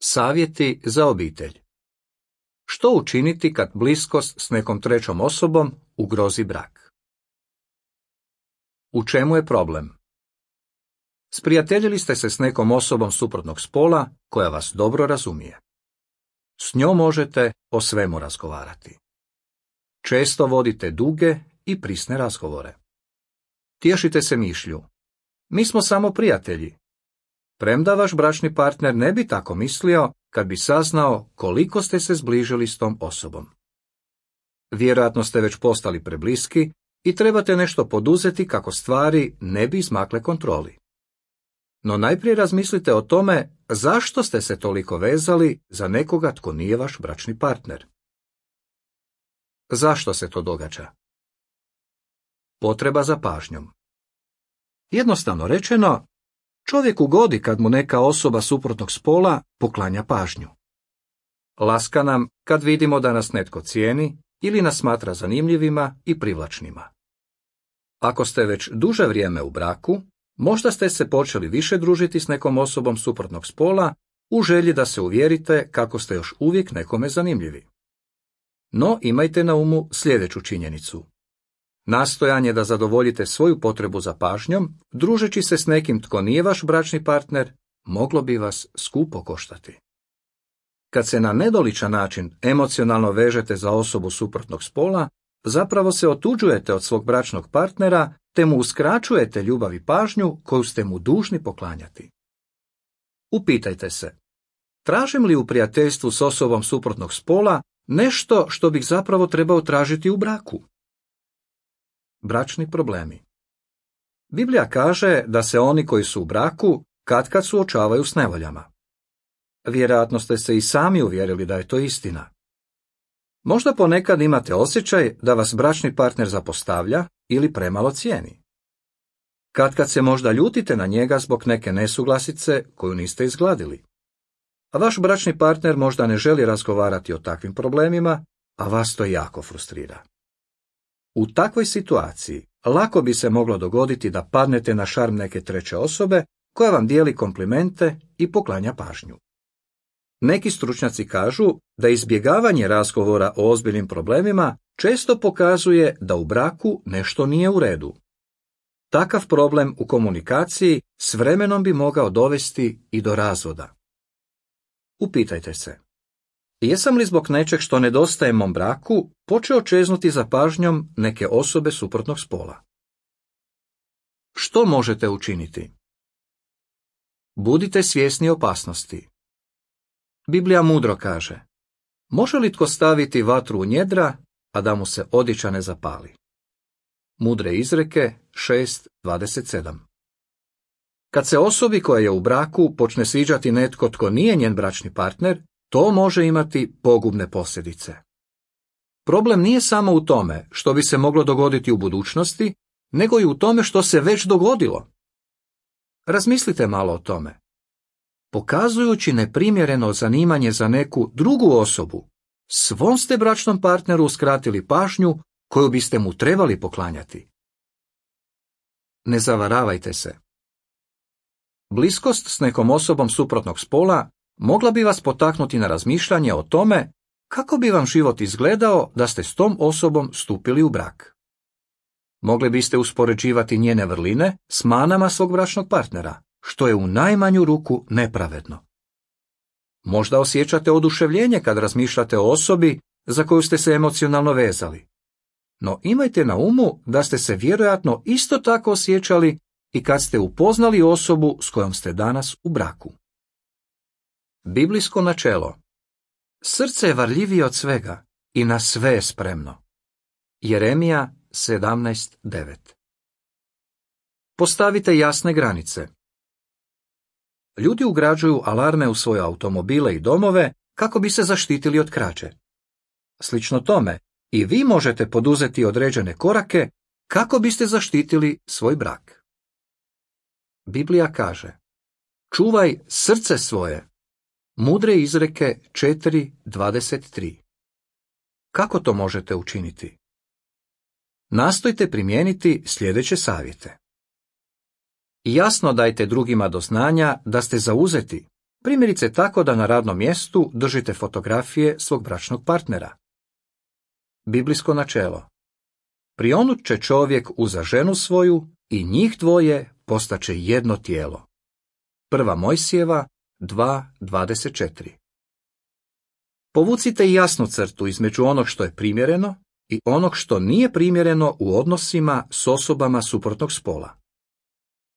Savjeti za obitelj. Što učiniti kad bliskost s nekom trećom osobom ugrozi brak? U čemu je problem? Sprijateljili ste se s nekom osobom suprotnog spola koja vas dobro razumije. S njom možete o svemu razgovarati. Često vodite duge i prisne razgovore. Tješite se mišlju: mi smo samo prijatelji. Premda vaš bračni partner ne bi tako mislio kad bi saznao koliko ste se zbližili s tom osobom. Vjerojatno ste već postali prebliski i trebate nešto poduzeti kako stvari ne bi izmakle kontroli. No najprije razmislite o tome zašto ste se toliko vezali za nekoga tko nije vaš bračni partner. Zašto se to događa? Potreba za pažnjom. Jednostavno rečeno, čovjek ugodi kad mu neka osoba suprotnog spola poklanja pažnju. Laska nam kad vidimo da nas netko cijeni ili nas smatra zanimljivima i privlačnima. Ako ste već duže vrijeme u braku, možda ste se počeli više družiti s nekom osobom suprotnog spola u želji da se uvjerite kako ste još uvijek nekome zanimljivi. No imajte na umu sljedeću činjenicu. Nastojanje da zadovoljite svoju potrebu za pažnjom, družeći se s nekim tko nije vaš bračni partner, moglo bi vas skupo koštati. Kad se na nedoličan način emocionalno vežete za osobu suprotnog spola, zapravo se otuđujete od svog bračnog partnera te mu uskraćujete ljubav i pažnju koju ste mu dužni poklanjati. Upitajte se: tražim li u prijateljstvu s osobom suprotnog spola nešto što bih zapravo trebao tražiti u braku? Bračni problemi. Biblija kaže da se oni koji su u braku katkad suočavaju s nevoljama. Vjerojatno ste se i sami uvjerili da je to istina. Možda ponekad imate osjećaj da vas bračni partner zapostavlja ili premalo cijeni. Katkad se možda ljutite na njega zbog neke nesuglasice koju niste izgladili. A vaš bračni partner možda ne želi razgovarati o takvim problemima, a vas to jako frustrira. U takvoj situaciji lako bi se moglo dogoditi da padnete na šarm neke treće osobe koja vam dijeli komplimente i poklanja pažnju. Neki stručnjaci kažu da izbjegavanje razgovora o ozbiljnim problemima često pokazuje da u braku nešto nije u redu. Takav problem u komunikaciji s vremenom bi mogao dovesti i do razvoda. Upitajte se: jesam li zbog nečeg što nedostaje mom braku počeo čeznuti za pažnjom neke osobe suprotnog spola? Što možete učiniti? Budite svjesni opasnosti. Biblija mudro kaže: može li tko staviti vatru u njedra, a da mu se odjeća ne zapali? Mudre izreke 6:27. Kad se osobi koja je u braku počne sviđati netko tko nije njen bračni partner, to može imati pogubne posljedice. Problem nije samo u tome što bi se moglo dogoditi u budućnosti, nego i u tome što se već dogodilo. Razmislite malo o tome. Pokazujući neprimjereno zanimanje za neku drugu osobu, svom ste bračnom partneru uskratili pažnju koju biste mu trebali poklanjati. Ne zavaravajte se. Bliskost s nekom osobom suprotnog spola mogla bi vas potaknuti na razmišljanje o tome kako bi vam život izgledao da ste s tom osobom stupili u brak. Mogli biste uspoređivati njene vrline s manama svog bračnog partnera, što je u najmanju ruku nepravedno. Možda osjećate oduševljenje kad razmišljate o osobi za koju ste se emocionalno vezali. No imajte na umu da ste se vjerojatno isto tako osjećali i kad ste upoznali osobu s kojom ste danas u braku. Biblijsko načelo: srce je varljivije od svega i na sve je spremno. Jeremija 17:9. Postavite jasne granice. Ljudi ugrađuju alarme u svoje automobile i domove kako bi se zaštitili od krađe. Slično tome, i vi možete poduzeti određene korake kako biste zaštitili svoj brak. Biblija kaže: čuvaj srce svoje. Mudre izreke 4:23. Kako to možete učiniti? Nastojte primijeniti sljedeće savjete. Jasno dajte drugima do znanja da ste zauzeti, Primjerice tako da na radnom mjestu držite fotografije svog bračnog partnera. Biblijsko načelo. Prionut će čovjek uza ženu svoju i njih dvoje postaće jedno tijelo. 1. Mojsijeva 2:24. Povucite jasnu crtu između onog što je primjereno i onog što nije primjereno u odnosima s osobama suprotnog spola.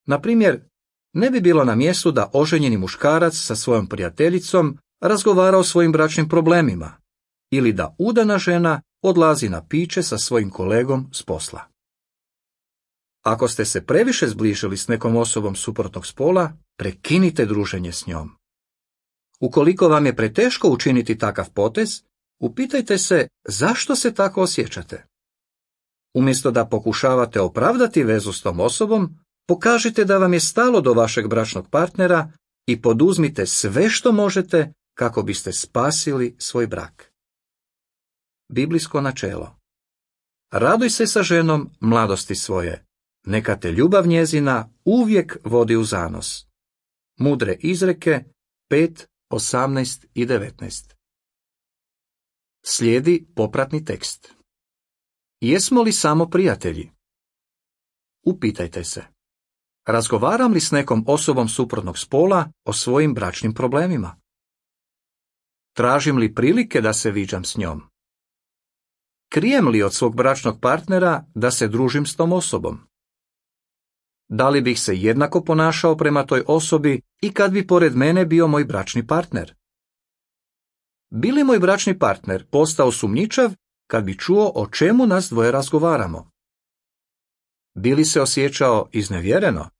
Na primjer, ne bi bilo na mjestu da oženjeni muškarac sa svojom prijateljicom razgovara o svojim bračnim problemima ili da udana žena odlazi na piće sa svojim kolegom s posla. Ako ste se previše zbližili s nekom osobom suprotnog spola, prekinite druženje s njom. Ukoliko vam je preteško učiniti takav potez, upitajte se zašto se tako osjećate. Umjesto da pokušavate opravdati vezu s tom osobom, pokažite da vam je stalo do vašeg bračnog partnera i poduzmite sve što možete kako biste spasili svoj brak. Biblijsko načelo. Raduj se sa ženom mladosti svoje, neka te ljubav njezina uvijek vodi u zanos. Mudre izreke 5:18 i 19. Slijedi popratni tekst. Jesmo li samo prijatelji? Upitajte se. Razgovaram li s nekom osobom suprotnog spola o svojim bračnim problemima? Tražim li prilike da se viđam s njom? Krijem li od svog bračnog partnera da se družim s tom osobom? Da li bih se jednako ponašao prema toj osobi i kad bi pored mene bio moj bračni partner? Bi li moj bračni partner postao sumnjičav kad bi čuo o čemu nas dvoje razgovaramo? Bi li se osjećao iznevjereno